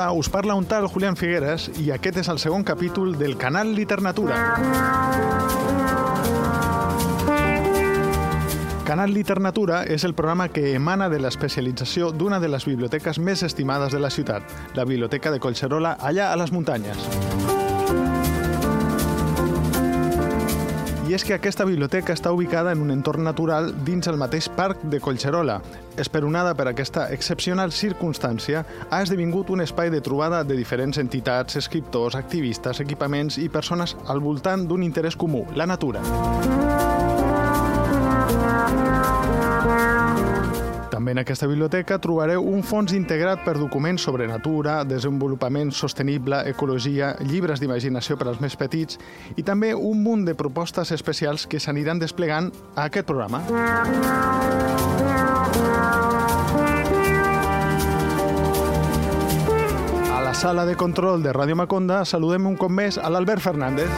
Hola, us parla un tal Julián Figueres i aquest és el segon capítol del canal Liternatura. Canal Liternatura és el programa que emana de l'especialització d'una de les biblioteques més estimades de la ciutat, la Biblioteca de Collserola, allà a les muntanyes. I és que aquesta biblioteca està ubicada en un entorn natural dins el mateix parc de Collserola. Esperonada per aquesta excepcional circumstància, ha esdevingut un espai de trobada de diferents entitats, escriptors, activistes, equipaments i persones al voltant d'un interès comú, la natura. També en aquesta biblioteca trobareu un fons integrat per documents sobre natura, desenvolupament sostenible, ecologia, llibres d'imaginació per als més petits i també un munt de propostes especials que s'aniran desplegant a aquest programa. A la sala de control de Ràdio Maconda saludem un cop més a l'Albert Fernández.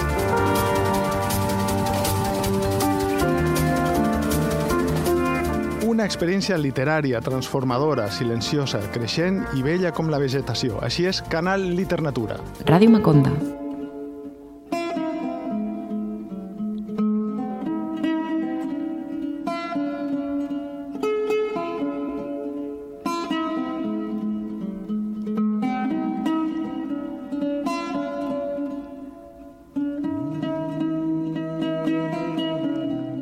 Una experiència literària, transformadora, silenciosa, creixent i bella com la vegetació. Així és Canal Liternatura. Ràdio Maconda.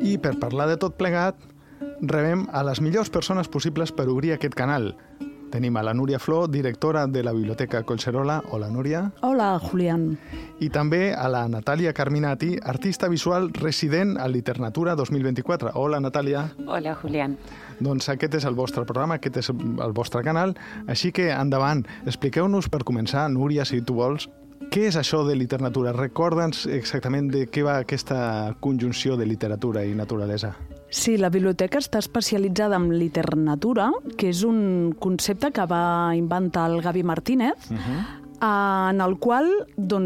I per parlar de tot plegat, rebem a les millors persones possibles per obrir aquest canal. Tenim a la Núria Flor, directora de la Biblioteca Collserola. Hola, Núria. Hola, Julián. I també a la Natàlia Carminati, artista visual resident a Liternatura 2024. Hola, Natàlia. Hola, Julián. Doncs aquest és el vostre programa, aquest és el vostre canal, així que endavant, expliqueu-nos per començar, Núria, si tu vols, què és això de literatura? Recorda'ns exactament de què va aquesta conjunció de literatura i naturalesa. Sí, la biblioteca està especialitzada en literatura, que és un concepte que va inventar el Gavi Martínez, en el qual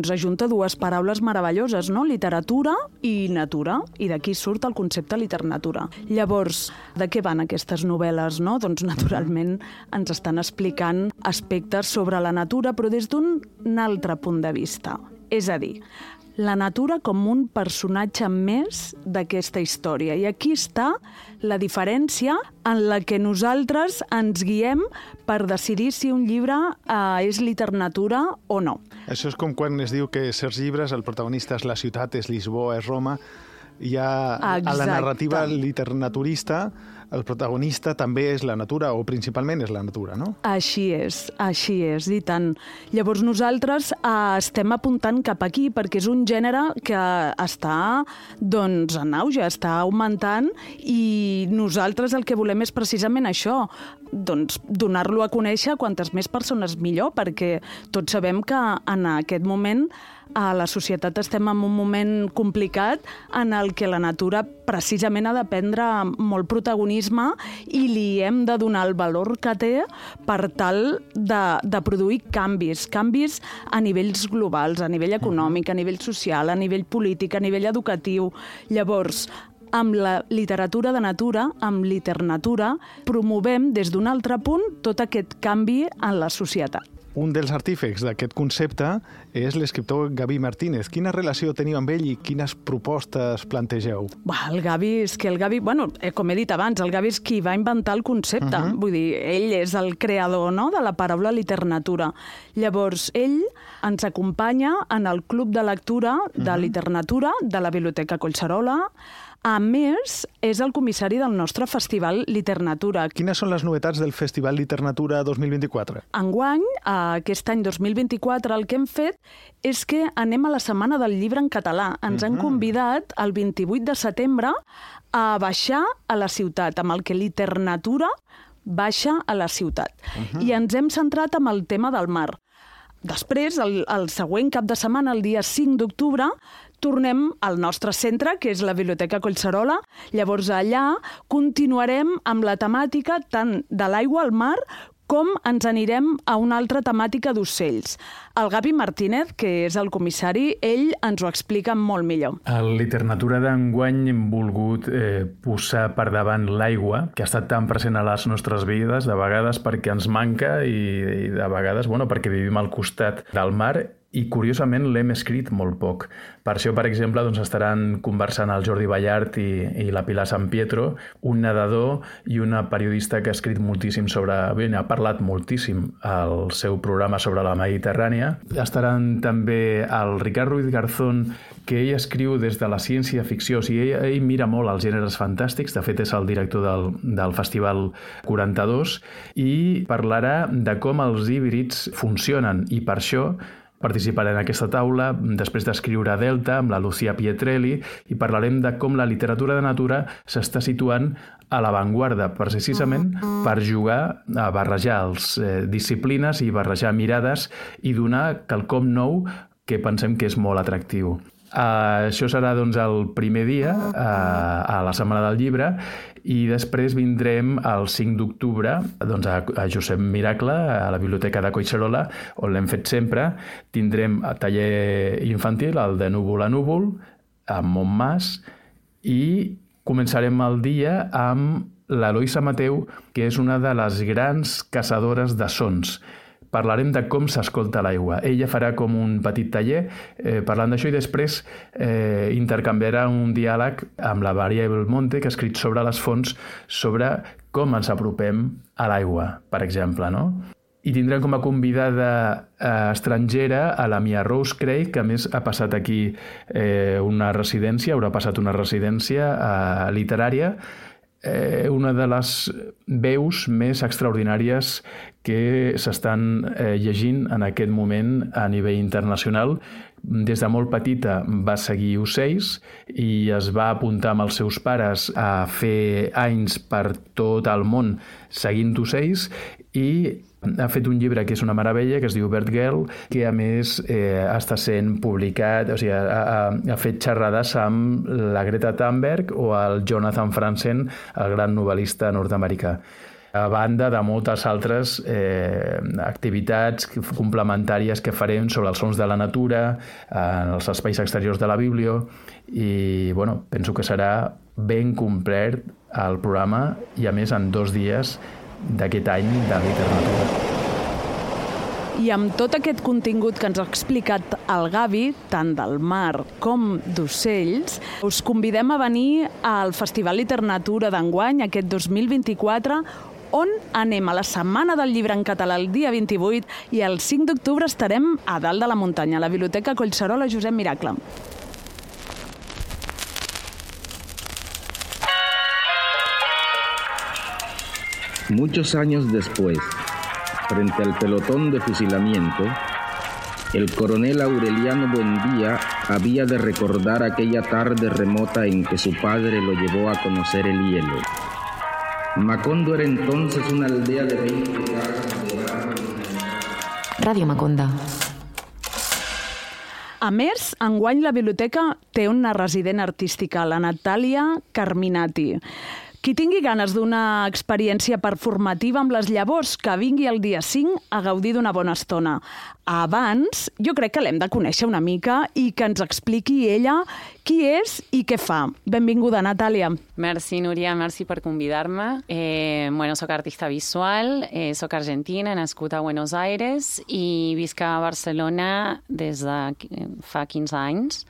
ajunta dues paraules meravelloses, no? Literatura i natura, i d'aquí surt el concepte literatura. Llavors, de què van aquestes novel·les, no? Doncs, naturalment, ens estan explicant aspectes sobre la natura, però des d'un altre punt de vista. És a dir, la natura com un personatge més d'aquesta història. I aquí està la diferència en la que nosaltres ens guiem per decidir si un llibre és literatura o no. Això és com quan es diu que certs llibres, el protagonista és la ciutat, és Lisboa, és Roma. Hi ha a la narrativa literaturista, el protagonista també és la natura, o principalment és la natura, no? Així és, i tant. Llavors nosaltres estem apuntant cap aquí, perquè és un gènere que està en auge, està augmentant, i nosaltres el que volem és precisament això, donar-lo a conèixer a quantes més persones millor, perquè tots sabem que en aquest moment a la societat estem en un moment complicat en el que la natura precisament ha de prendre molt protagonisme i li hem de donar el valor que té per tal de produir canvis a nivells globals, a nivell econòmic, a nivell social, a nivell polític, a nivell educatiu. Llavors, amb la literatura de natura, amb Liternatura, promovem des d'un altre punt tot aquest canvi en la societat. Un dels artífecs d'aquest concepte és l'escriptor Gavi Martínez. Quina relació teniu amb ell i quines propostes plantegeu? El Gavi, com he dit abans, el Gavi és qui va inventar el concepte. Vull dir, ell és el creador, no?, de la paraula literatura. Llavors, ell ens acompanya en el club de lectura de Liternatura de la Biblioteca Collserola. A més, és el comissari del nostre Festival Liternatura. Quines són les novetats del Festival Liternatura 2024? Enguany, aquest any 2024, el que hem fet és que anem a la Setmana del Llibre en català. Ens han convidat el 28 de setembre a baixar a la ciutat, amb el que Liternatura baixa a la ciutat. I ens hem centrat en el tema del mar. Després, el següent cap de setmana, el dia 5 d'octubre, tornem al nostre centre, que és la Biblioteca Collserola. Llavors allà continuarem amb la temàtica tant de l'aigua al mar com ens anirem a una altra temàtica d'ocells. El Gavi Martínez, que és el comissari, ell ens ho explica molt millor. A Liternatura d'enguany hem volgut posar per davant l'aigua, que ha estat tan present a les nostres vides, de vegades perquè ens manca i de vegades perquè vivim al costat del mar, i curiosament l'hem escrit molt poc. Per això, per exemple, estaran conversant el Jordi Ballart i la Pilar San Pietro, un nedador i una periodista que ha escrit moltíssim ha parlat moltíssim al seu programa sobre la Mediterrània. Estaran també el Ricard Ruiz Garzón, que ell escriu des de la ciència-ficció, o sigui, ell mira molt els gèneres fantàstics, de fet és el director del Festival 42, i parlarà de com els híbrids funcionen, i per això participaré en aquesta taula, després d'escriure Delta, amb la Lucía Pietrelli, i parlarem de com la literatura de natura s'està situant a l'avantguarda, precisament per jugar a barrejar les disciplines i barrejar mirades i donar quelcom nou que pensem que és molt atractiu. Això serà el primer dia a la Setmana del Llibre, i després vindrem el 5 d'octubre a Josep Miracle, a la Biblioteca de Collserola, on l'hem fet sempre. Tindrem taller infantil, el de Núvol a Núvol, a Montmàs, i començarem el dia amb l'Eloisa Mateu, que és una de les grans caçadores de sons. Parlarem de com s'escolta l'aigua. Ella farà com un petit taller parlant d'això, i després intercanviarà un diàleg amb la Maria Belmonte, que ha escrit sobre les fonts, sobre com ens apropem a l'aigua, per exemple, no? I tindrem com a convidada estrangera a la Mia Rose Craig, que a més ha passat aquí una residència, haurà passat una residència literària, una de les veus més extraordinàries que s'estan llegint en aquest moment a nivell internacional. Des de molt petita va seguir ocells i es va apuntar amb els seus pares a fer anys per tot el món seguint ocells, i ha fet un llibre que és una meravella, que es diu Bird Girl, que a més està sent publicat, o sigui, ha fet xerrades amb la Greta Thunberg o el Jonathan Franzen, el gran novel·lista nord-americà. A banda de moltes altres activitats complementàries que farem sobre els sons de la natura, en els espais exteriors de la Biblio, i penso que serà ben complet el programa, i a més en 2 dies d'aquest any de literatura. I amb tot aquest contingut que ens ha explicat el Gavi, tant del mar com d'ocells, us convidem a venir al Festival Literatura d'enguany, aquest 2024, on anem a la Setmana del Llibre en català el dia 28, i el 5 d'octubre estarem a dalt de la muntanya, a la Biblioteca Collserola Josep Miracle. Muchos años después, frente al pelotón de fusilamiento, el coronel Aureliano Buendía había de recordar aquella tarde remota en que su padre lo llevó a conocer el hielo. Macondo era entonces una aldea de 20 casas de barro. Ràdio Maconda. A més, enguany la biblioteca té una resident artística, la Natàlia Carminati. Qui tingui ganes d'una experiència performativa amb les llavors, que vingui el dia 5 a gaudir d'una bona estona. Abans, jo crec que l'hem de conèixer una mica i que ens expliqui ella qui és i què fa. Benvinguda, Natàlia. Merci, Núria, merci per convidar-me. Soc artista visual, soc argentina, nascut a Buenos Aires i visc a Barcelona des de fa 15 anys.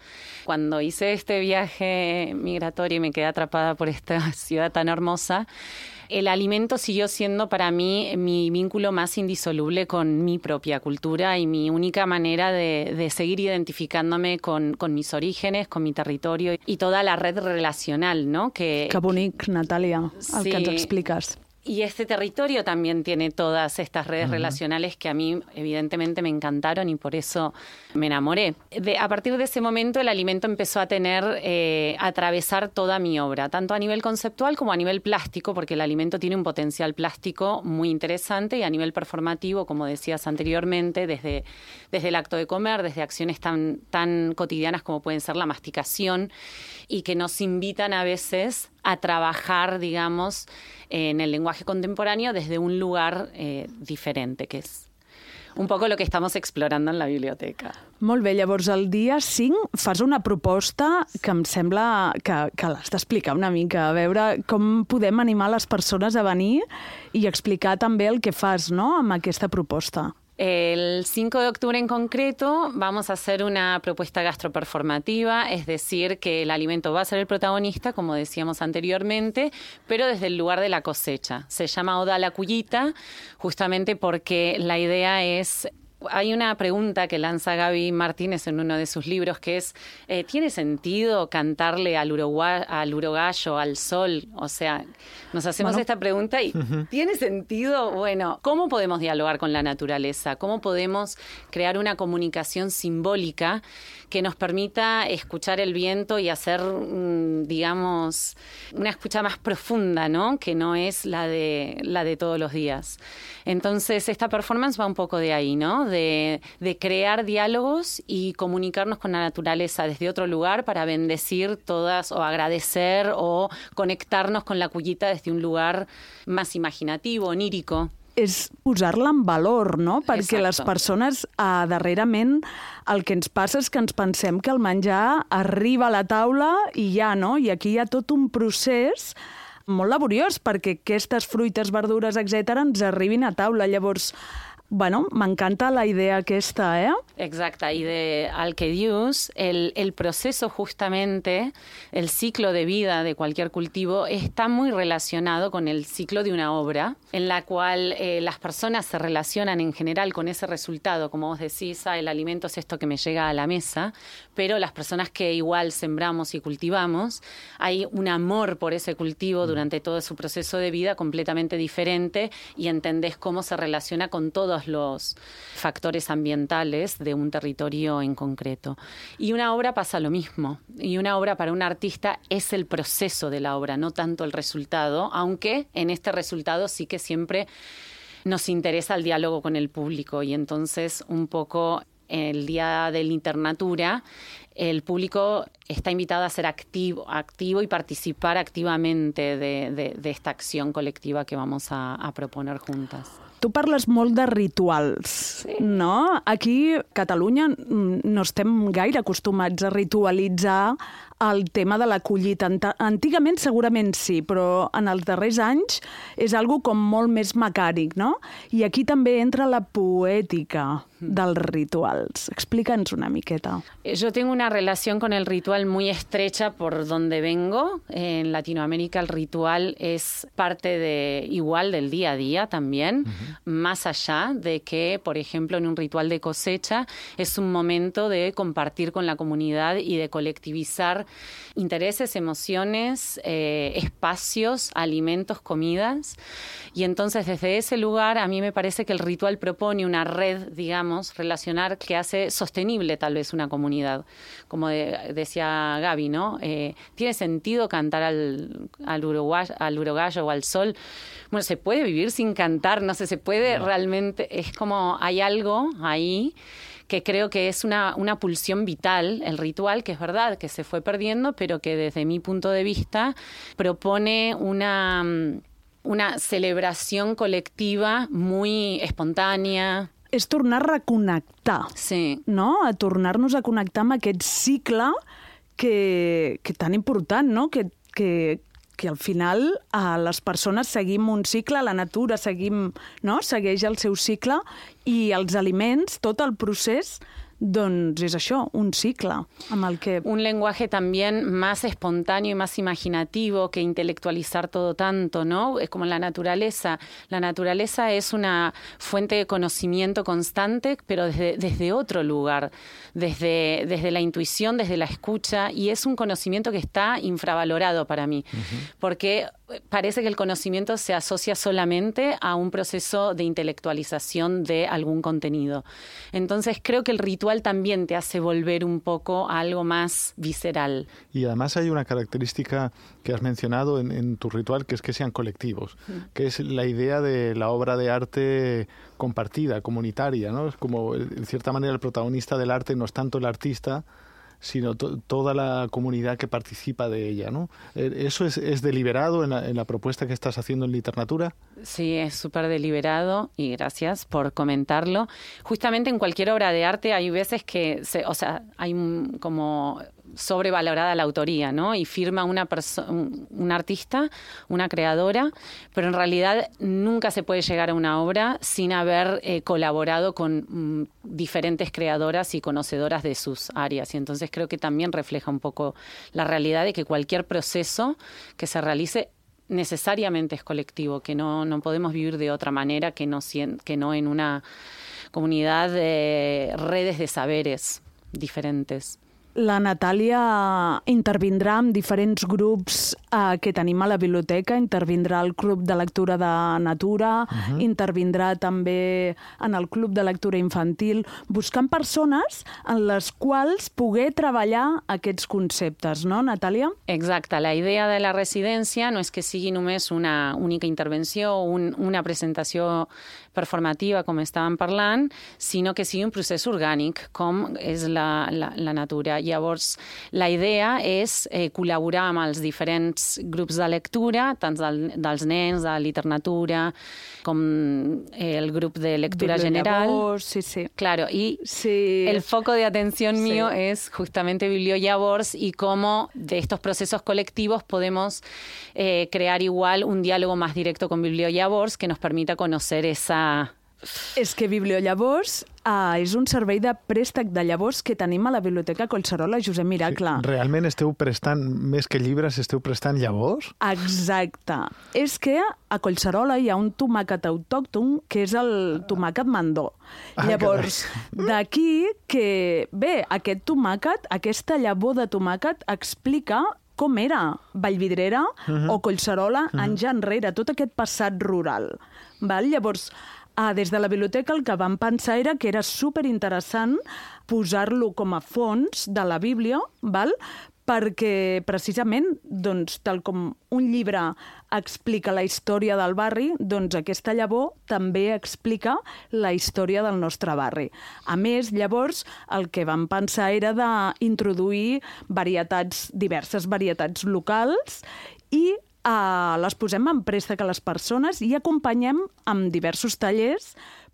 Cuando hice este viaje migratorio y me quedé atrapada por esta ciudad tan hermosa, el alimento siguió siendo para mí mi vínculo más indisoluble con mi propia cultura y mi única manera de seguir identificándome con mis orígenes, con mi territorio y toda la red relacional, ¿no? Que bonic, Natàlia, el sí. Que ens expliques. Y este territorio también tiene todas estas redes relacionales que a mí evidentemente me encantaron y por eso me enamoré. A partir de ese momento el alimento empezó a atravesar toda mi obra, tanto a nivel conceptual como a nivel plástico, porque el alimento tiene un potencial plástico muy interesante, y a nivel performativo, como decías anteriormente, desde el acto de comer, desde acciones tan cotidianas como pueden ser la masticación, y que nos invitan a veces a trabajar, digamos, en el lenguaje contemporáneo desde un lugar diferente, que es un poco lo que estamos explorando en la biblioteca. Molt bé, llavors el dia 5 fas una proposta que em sembla que l'has d'explicar una mica, a veure com podem animar les persones a venir i explicar també el que fas, no?, amb aquesta proposta. El 5 de octubre en concreto vamos a hacer una propuesta gastroperformativa, es decir, que el alimento va a ser el protagonista, como decíamos anteriormente, pero desde el lugar de la cosecha. Se llama Oda a la Cullita, justamente porque la idea es... Hay una pregunta que lanza Gaby Martínez en uno de sus libros que es, ¿tiene sentido cantarle al urogallo, al sol? O sea, nos hacemos esta pregunta y ¿tiene sentido? Bueno, ¿cómo podemos dialogar con la naturaleza? ¿Cómo podemos crear una comunicación simbólica que nos permita escuchar el viento y hacer, digamos, una escucha más profunda, ¿no?, que no es la de todos los días? Entonces, esta performance va un poco de ahí, ¿no?, de crear diálogos y comunicarnos con la naturaleza desde otro lugar para bendecir todas o agradecer o conectarnos con la cullita desde un lugar más imaginativo, onírico. És posar-la en valor, no? Perquè Exacto. les persones, darrerament, el que ens passa és que ens pensem que el menjar arriba a la taula i ja, no? I aquí hi ha tot un procés molt laboriós perquè aquestes fruites, verdures, etc., ens arribin a taula. Llavors, bueno, m'encanta la idea aquesta, ¿eh? Exacta, y de Alquedius, el proceso justamente, el ciclo de vida de cualquier cultivo está muy relacionado con el ciclo de una obra, en la cual las personas se relacionan en general con ese resultado, como vos decís, el alimento es esto que me llega a la mesa, pero las personas que igual sembramos y cultivamos, hay un amor por ese cultivo durante todo su proceso de vida completamente diferente y entendés cómo se relaciona con todos los factores ambientales de un territorio en concreto. Y una obra pasa lo mismo. Y una obra para un artista es el proceso de la obra, no tanto el resultado, aunque en este resultado sí que siempre nos interesa el diálogo con el público. Y entonces un poco el día de la internatura, el público está invitado a ser activo y participar activamente de esta acción colectiva que vamos a proponer juntas. Tu parles molt de rituals, sí, no? Aquí, a Catalunya, no estem gaire acostumats a ritualitzar el tema de la collita. Antigament segurament sí, però en els darrers anys és algo com molt més mecànic, no? I aquí també entra la poètica dels rituals. Explica'ns una miqueta. Yo tengo una relación con el ritual muy estrecha por donde vengo. En Latinoamérica el ritual es parte igual del día a día también, más allá de que, por ejemplo, en un ritual de cosecha es un momento de compartir con la comunidad y de colectivizar intereses, emociones, espacios, alimentos, comidas. Y entonces desde ese lugar a mí me parece que el ritual propone una red, digamos, relacionar que hace sostenible tal vez una comunidad. Como decía Gaby, ¿no? ¿Tiene sentido cantar al urogallo o al sol? Bueno, ¿se puede vivir sin cantar? No sé, se puede realmente... Es como hay algo ahí que creo que es una pulsión vital, el ritual, que es verdad que se fue perdiendo, pero que desde mi punto de vista propone una celebración colectiva muy espontània. És tornar a reconnectar, sí, no? A tornar-nos a connectar amb aquest cicle que tan important, no? Que al final les persones seguim un cicle, la natura segueix el seu cicle i els aliments, tot el procés, doncs és això, un cicle amb el que... Un lenguaje también más espontáneo y más imaginativo que intelectualizar todo tanto, ¿no? Es como la naturaleza. La naturaleza es una fuente de conocimiento constante, pero desde otro lugar, desde la intuición, desde la escucha, y es un conocimiento que está infravalorado para mí, porque parece que el conocimiento se asocia solamente a un proceso de intelectualización de algún contenido. Entonces creo que el ritual también te hace volver un poco a algo más visceral. Y además hay una característica que has mencionado en tu ritual, que es que sean colectivos, que es la idea de la obra de arte compartida, comunitaria, ¿no? Es como, en cierta manera, el protagonista del arte no es tanto el artista, sino toda la comunidad que participa de ella, ¿no? ¿Eso es deliberado en la propuesta que estás haciendo en Literatura? Sí, es súper deliberado y gracias por comentarlo. Justamente en cualquier obra de arte hay veces que, hay como sobrevalorada la autoría, ¿no? Y firma un artista, una creadora, pero en realidad nunca se puede llegar a una obra sin haber colaborado con diferentes creadoras y conocedoras de sus áreas. Y entonces creo que también refleja un poco la realidad de que cualquier proceso que se realice necesariamente es colectivo, que no podemos vivir de otra manera que no en una comunidad de redes de saberes diferentes. La Natàlia intervindrà amb diferents grups que tenim a la biblioteca, intervindrà al Club de Lectura de Natura, intervindrà també en el Club de Lectura Infantil, buscant persones en les quals poder treballar aquests conceptes, no, Natàlia? Exacte. La idea de la residència no és que sigui només una única intervenció o una presentació performativa, com estàvem parlant, sinó que sigui un procés orgànic, com és la natura. Llavors, la idea és col·laborar amb els diferents grups de lectura, tant dels nens, de literatura, com el grup de lectura general. Sí. Claro, y el foco de atención mío es justamente Bibliollavors y cómo de estos procesos colectivos podemos crear igual un diálogo más directo con Bibliollavors que nos permita conocer esa... És que Bibliollavors és un servei de préstec de llavors que tenim a la Biblioteca Collserola Josep Miracle. Sí, realment esteu prestant, més que llibres, esteu prestant llavors? Exacte. És que a Collserola hi ha un tomàquet autòcton que és el tomàquet mandó. Llavors, d'aquí que, bé, aquest tomàquet, aquesta llavor de tomàquet explica com era Vallvidrera o Collserola anys enrere, tot aquest passat rural. Llavors, des de la biblioteca el que vam pensar era que era superinteressant posar-lo com a fons de la Bíblia, perquè precisament, tal com un llibre explica la història del barri, doncs aquesta llavor també explica la història del nostre barri. A més, llavors, el que vam pensar era d'introduir diverses varietats locals i les posem en préstec a les persones i acompanyem amb diversos tallers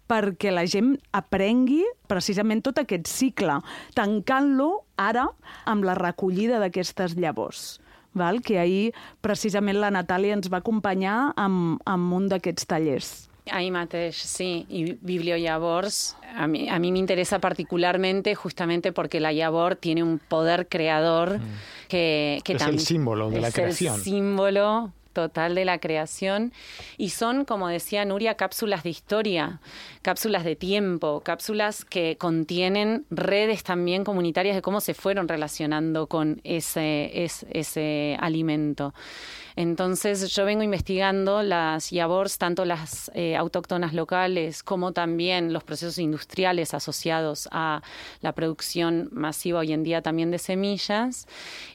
perquè la gent aprengui precisament tot aquest cicle, tancant-lo ara amb la recollida d'aquestes llavors. Que ahir precisament la Natàlia ens va acompanyar amb un d'aquests tallers. Ahí mateix, sí. Y Bibliollavors a mí me interesa particularmente justamente porque la llavor tiene un poder creador que es el símbolo de la creación. Es el símbolo total de la creación y son, como decía Nuria, cápsulas de historia, cápsulas de tiempo, cápsulas que contienen redes también comunitarias de cómo se fueron relacionando con ese alimento. Entonces yo vengo investigando las llavors, tanto las autóctonas locales como también los procesos industriales asociados a la producción masiva hoy en día también de semillas,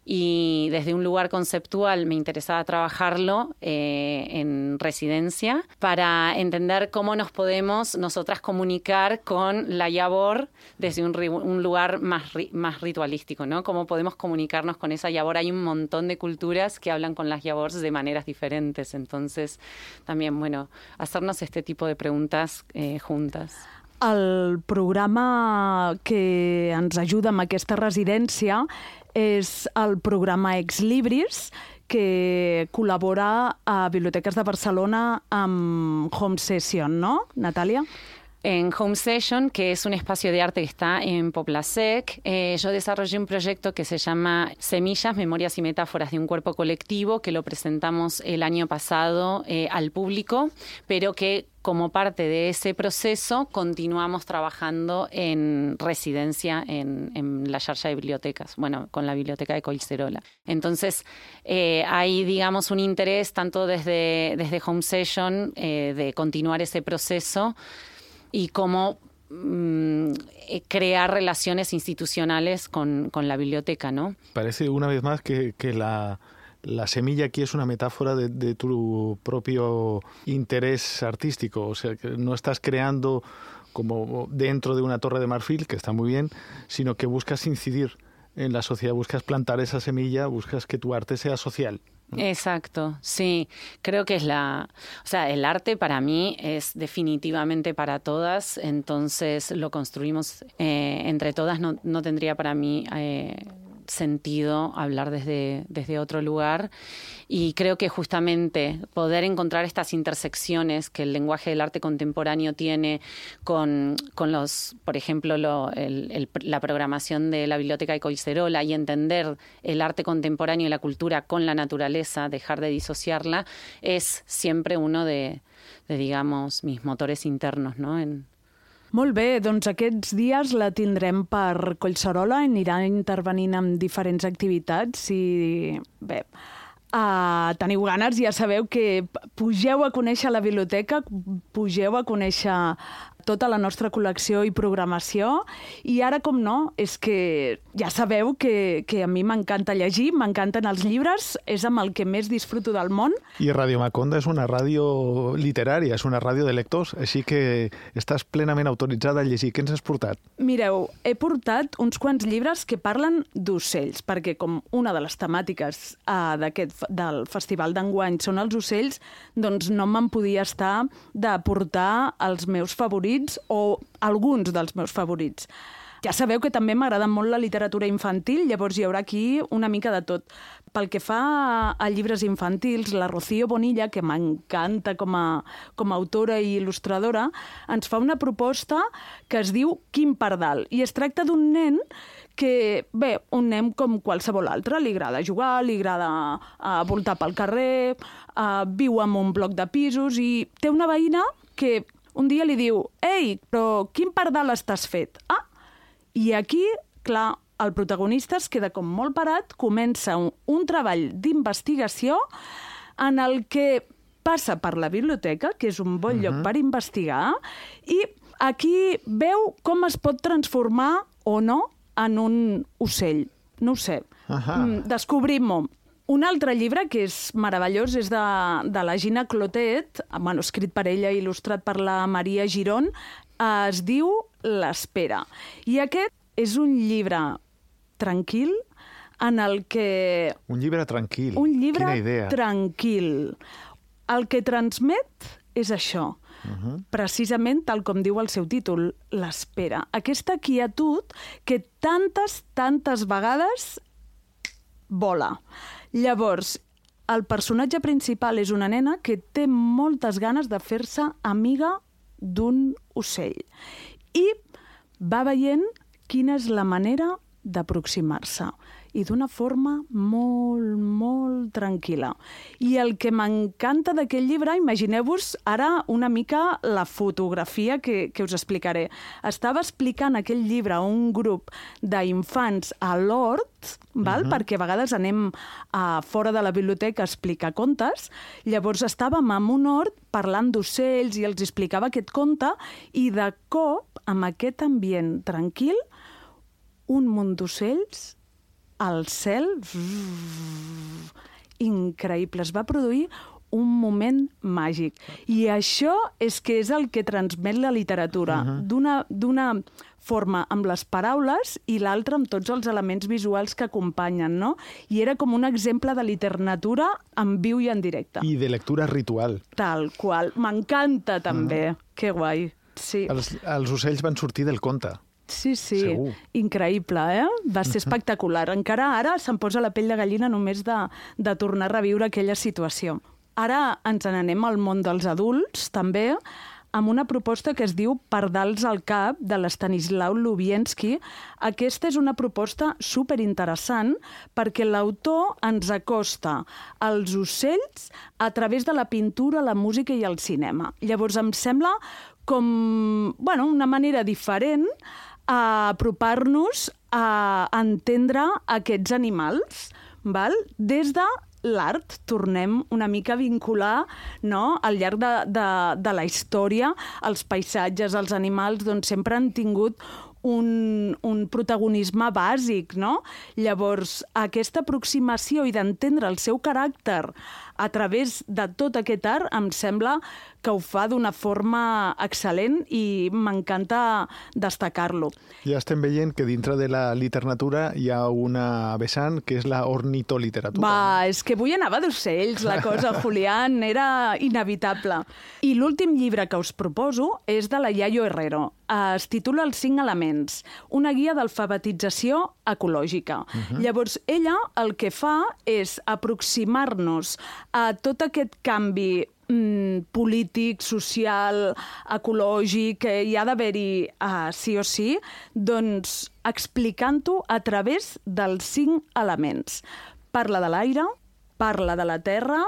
y desde un lugar conceptual me interesaba trabajarlo en residencia para entender cómo nos podemos nosotras comunicar con la llavor desde un lugar más ritualístico, ¿no? Cómo podemos comunicarnos con esa llavor. Hay un montón de culturas que hablan con las llavors de maneras diferentes. Entonces, también, hacernos este tipo de preguntas juntas. El programa que ens ajuda amb aquesta residència és el programa Ex Libris, que col·labora a Biblioteques de Barcelona amb Home Session, ¿no, Natàlia? En Home Session, que es un espacio de arte que está en Poplasec, yo desarrollé un proyecto que se llama Semillas, Memorias y Metáforas de un Cuerpo Colectivo, que lo presentamos el año pasado al público, pero que como parte de ese proceso continuamos trabajando en residencia en la xarxa de bibliotecas, con la Biblioteca de Collserola. Entonces, hay, digamos, un interés tanto desde Home Session de continuar ese proceso y cómo crear relaciones institucionales con la biblioteca, ¿no? Parece una vez más que la semilla aquí es una metáfora de tu propio interés artístico. O sea, que no estás creando como dentro de una torre de marfil, que está muy bien, sino que buscas incidir en la sociedad buscas plantar esa semilla, buscas que tu arte sea social. Exacto, sí. Creo que el arte para mí es definitivamente para todas, entonces lo construimos entre todas, no tendría para mí sentido hablar desde otro lugar, y creo que justamente poder encontrar estas intersecciones que el lenguaje del arte contemporáneo tiene con los, por ejemplo, la programación de la Biblioteca de Collserola, y entender el arte contemporáneo y la cultura con la naturaleza, dejar de disociarla, es siempre uno de digamos, mis motores internos, ¿no? Molt bé, doncs aquests dies la tindrem per Collserola, anirà intervenint en diferents activitats i bé, teniu ganes, ja sabeu que pugeu a conèixer la biblioteca, pugeu a conèixer tota la nostra col·lecció i programació, i ara, com no, és que ja sabeu que a mi m'encanta llegir, m'encanten els llibres, és amb el que més disfruto del món. I Radio Maconda és una ràdio literària, és una ràdio de lectors, així que estàs plenament autoritzada a llegir. Què ens has portat? Mireu, he portat uns quants llibres que parlen d'ocells, perquè com una de les temàtiques del festival d'enguany són els ocells, doncs no me'n podia estar de portar els meus favorits o alguns dels meus favorits. Ja sabeu que també m'agrada molt la literatura infantil, llavors hi haurà aquí una mica de tot. Pel que fa a llibres infantils, la Rocío Bonilla, que m'encanta com a autora i il·lustradora, ens fa una proposta que es diu Quim Pardal, i es tracta d'un nen que, bé, un nen com qualsevol altre, li agrada jugar, li agrada voltar pel carrer, viu en un bloc de pisos i té una veïna que un dia li diu: «Ei, però quin pardal estàs fet?» I aquí, clar, el protagonista es queda com molt parat, comença un treball d'investigació en el que passa per la biblioteca, que és un bon lloc per investigar, i aquí veu com es pot transformar o no en un ocell. No ho sé. Descobrim-ho. Un altre llibre que és meravellós és de la Gina Clotet, escrit per ella i il·lustrat per la Maria Girón, es diu L'Espera. I aquest és un llibre tranquil en el que... Un llibre tranquil. Un llibre Quina idea. Tranquil. El que transmet és això. Precisament tal com diu el seu títol, l'espera. Aquesta quietud que tantes vegades vola. Llavors, el personatge principal és una nena que té moltes ganes de fer-se amiga d'un ocell. I va veient quina és la manera d'aproximar-se. I d'una forma molt tranquil·la. I el que m'encanta d'aquest llibre, imagineu-vos ara una mica la fotografia que us explicaré. Estava explicant aquest llibre a un grup d'infants a l'hort, perquè a vegades anem fora de la biblioteca a explicar contes. Llavors estàvem en un hort parlant d'ocells i els explicava aquest conte, i de cop, amb aquest ambient tranquil, un munt d'ocells al cel, increïble. Es va produir un moment màgic. I això és el que transmet la literatura, d'una forma amb les paraules i l'altra amb tots els elements visuals que acompanyen, no? I era com un exemple de literatura en viu i en directe. I de lectura ritual. Tal qual. M'encanta també. Que guai. Sí. Els ocells van sortir del conte. Sí, Segur. Increïble, Va ser espectacular. Encara ara se'm posa la pell de gallina només de tornar a reviure aquella situació. Ara ens n'anem al món dels adults, també, amb una proposta que es diu Pardals al cap, de l'Estanislau Lubienski. Aquesta és una proposta superinteressant perquè l'autor ens acosta als ocells a través de la pintura, la música i el cinema. Llavors em sembla com una manera diferent a apropar-nos a entendre aquests animals, des de l'art. Tornem una mica a vincular, no? Al llarg de la història, els paisatges, els animals, doncs sempre han tingut un protagonisme bàsic, no? Llavors, aquesta aproximació i d'entendre el seu caràcter a través de tot aquest art em sembla que ho fa d'una forma excel·lent i m'encanta destacar-lo. Ja estem veient que dintre de la literatura hi ha una vessant que és la ornitoliteratura. Va, és que avui anava d'ocells, la cosa, Julián, era inevitable. I l'últim llibre que us proposo és de la Yayo Herrero. Es titula Els 5 elements, una guia d'alfabetització ecològica. Llavors, ella el que fa és aproximar-nos a tot aquest canvi polític, social, ecològic, que hi ha d'haver-hi sí o sí, doncs explicant-ho a través dels 5 elements. Parla de l'aire, parla de la terra,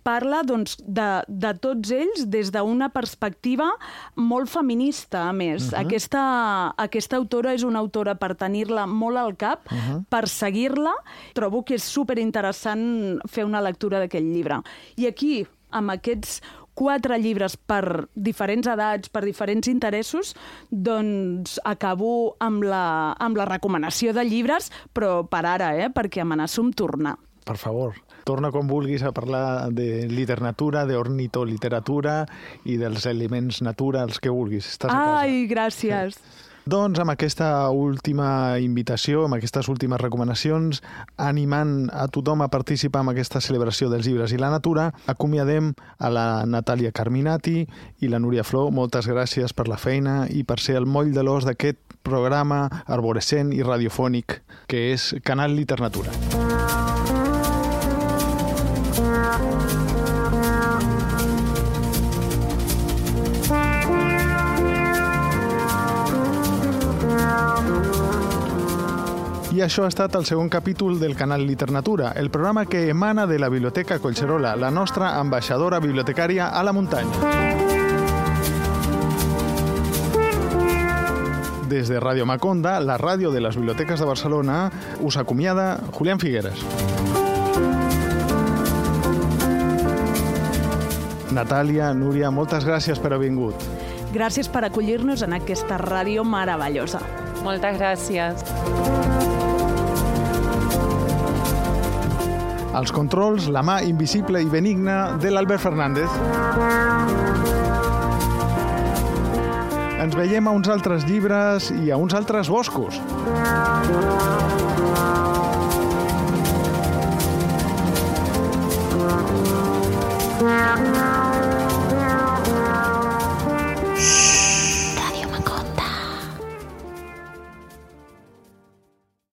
parla doncs, de tots ells des d'una perspectiva molt feminista, a més. Aquesta autora és una autora per tenir-la molt al cap, per seguir-la. Trobo que és superinteressant fer una lectura d'aquest llibre. I aquí, amb aquests 4 llibres per diferents edats, per diferents interessos, doncs acabo amb la recomanació de llibres, però per ara, perquè amenaço amb tornar. Per favor, torna quan vulguis a parlar de literatura, d'ornitoliteratura i dels elements naturals que vulguis. Estàs a casa. Ai, gràcies. Doncs amb aquesta última invitació, amb aquestes últimes recomanacions, animant a tothom a participar en aquesta celebració dels llibres i la natura, acomiadem a la Natàlia Carminati i la Núria Flor. Moltes gràcies per la feina i per ser el moll de l'os d'aquest programa arborescent i radiofònic que és Canal Literatura. I això ha estat el segon capítol del Canal Literatura, el programa que emana de la Biblioteca Collserola, la nostra ambaixadora bibliotecària a la muntanya. Des de Ràdio Maconda, la ràdio de les biblioteques de Barcelona, us acomiada Julián Figueres. Natàlia, Núria, moltes gràcies per haver vingut. Gràcies per acollir-nos en aquesta ràdio meravellosa. Moltes gràcies. Als controls, la mà invisible i benigna de l'Albert Fernández. Ens veiem a uns altres llibres i a uns altres boscos. Yeah.